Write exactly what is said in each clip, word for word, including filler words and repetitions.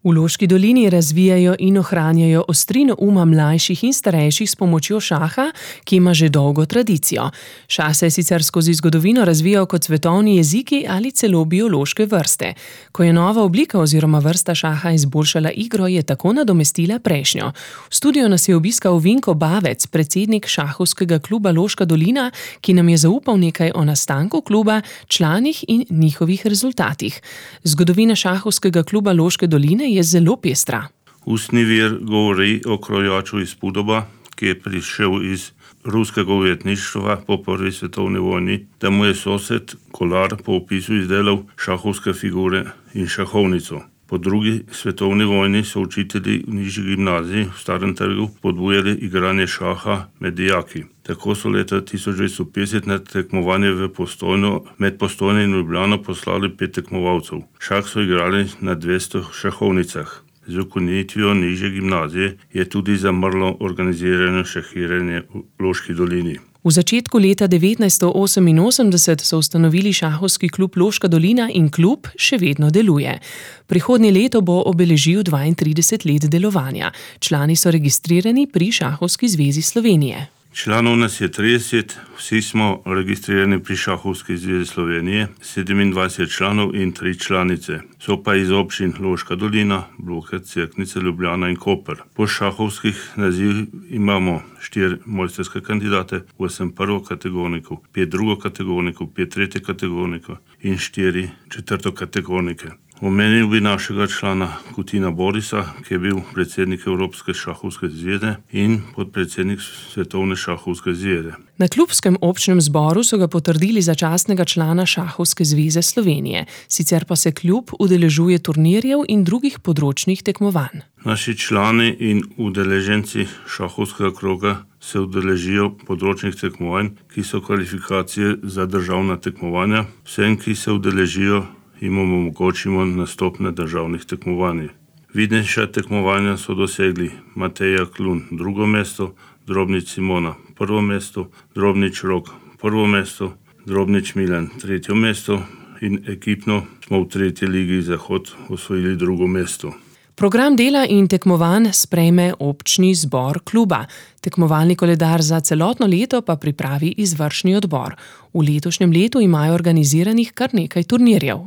V Loški dolini razvijajo in ohranjajo ostrino uma mlajših in starejših s pomočjo šaha, ki ima že dolgo tradicijo. Šah se je sicer skozi zgodovino razvijal kot svetovni jeziki ali celo biološke vrste. Ko je nova oblika oziroma vrsta šaha izboljšala igro, je tako nadomestila prejšnjo. V studiu nas je obiskal Vinko Bavec, predsednik šahovskega kluba Loška dolina, ki nam je zaupal nekaj o nastanku kluba, članih in njihovih rezultatih. Zgodovina šahovskega kluba Loške doline je zelo pestra. Ustni vir govori o krojaču iz Pudoba, ki je prišel iz ruskega ujetništva po prvi svetovni vojni, da mu je sosed Kolar po opisu izdelal šahovske figure in šahovnico. Po drugi svetovni vojni so učitelji v nižji gimnaziji v Starem trgu podbujali igranje šaha med dijaki. Tako so leta tisoč devetsto petdeset na tekmovanje v Postojno, med Postojno in Ljubljano poslali pet tekmovalcev. Šah so igrali na dvesto šahovnicah. Z ukinitvijo nižje gimnazije je tudi zamrlo organizirano šahiranje v Loški dolini. V začetku leta devetnajststo oseminosemdeset so ustanovili šahovski klub Loška dolina in klub še vedno deluje. Prihodnje leto bo obeležil dvaintrideset let delovanja. Člani so registrirani pri Šahovski zvezi Slovenije. Članov nas je trideset, vsi smo registrirani pri Šahovski zvezi Slovenije, sedemindvajset članov in tri članice. So pa iz občin Loška dolina, Blokec, Cerknica, Ljubljana in Koper. Po šahovskih nazivih imamo štiri mojstrske kandidate, osem prvokategornikov, pet drugokategornikov, pet tretjekategornikov in štiri četrtokategornike. Omenil bi našega člana Kutina Borisa, ki je bil predsednik Evropske šahovske zveze in podpredsednik Svetovne šahovske zveze. Na klubskem občnem zboru so ga potrdili za častnega člana Šahovske zveze Slovenije. Sicer pa se klub udeležuje turnirjev in drugih področnih tekmovanj. Naši člani in udeleženci šahovskega kroga se udeležijo področnih tekmovanj, ki so kvalifikacije za državna tekmovanja. Vsem, ki se udeležijo, jim omogočimo nastop na državnih tekmovanjih. Vidnejša tekmovanja so dosegli Mateja Klun drugo mesto, Drobnič Simona prvo mesto, Drobnič Rok prvo mesto, Drobnič Milan tretje mesto in ekipno smo v tretji ligi Zahod osvojili drugo mesto. Program dela in tekmovanj sprejme občni zbor kluba. Tekmovalni koledar za celotno leto pa pripravi izvršni odbor. V letošnjem letu imajo organiziranih kar nekaj turnirjev.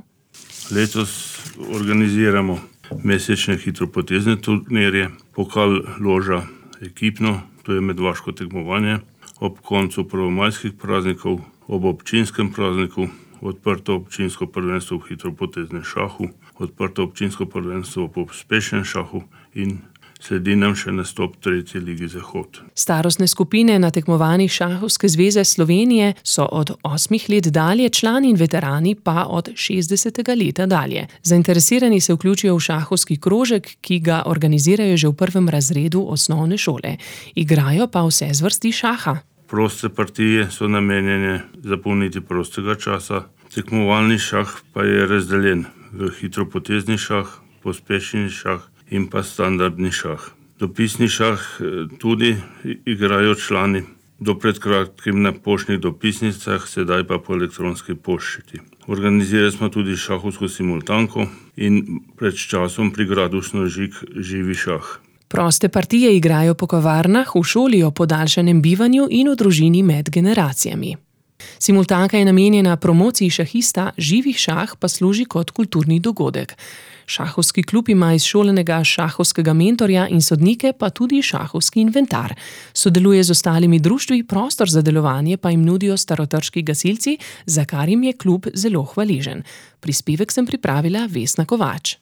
Letos organiziramo mesečne hitropotezne turnirje, pokal loža ekipno, to je medvaško tekmovanje, ob koncu prvomajskih praznikov, ob občinskem prazniku, odprto občinsko prvenstvo v hitropoteznem šahu, odprto občinsko prvenstvo po uspešnem šahu in sledi nam še nastop tretje lige Zahod. Starostne skupine na tekmovanjih Šahovske zveze Slovenije so od osmih let dalje, člani in veterani pa od šestdesetega leta dalje. Zainteresirani se vključijo v šahovski krožek, ki ga organizirajo že v prvem razredu osnovne šole. Igrajo pa vse zvrsti šaha. Proste partije so namenjene zapolniti prostega časa. Tekmovalni šah pa je razdeljen v hitropotezni šah, pospešeni šah in pa standardni šah. Dopisni šah tudi igrajo člani, do pred kratkim na poštnih dopisnicah, sedaj pa po elektronski pošti. Organizirali smo tudi šahovsko simultanko in pred časom pri gradu Snožik živi šah. Proste partije igrajo po kavarnah, v šoli o podaljšanem bivanju in v družini med generacijami. Simultanka je namenjena promociji šahista, živih šah pa služi kot kulturni dogodek. Šahovski klub ima izšolenega šahovskega mentorja in sodnike, pa tudi šahovski inventar. Sodeluje z ostalimi društvi, prostor za delovanje pa jim nudijo starotrški gasilci, za kar jim je klub zelo hvaležen. Prispevek sem pripravila Vesna Kovač.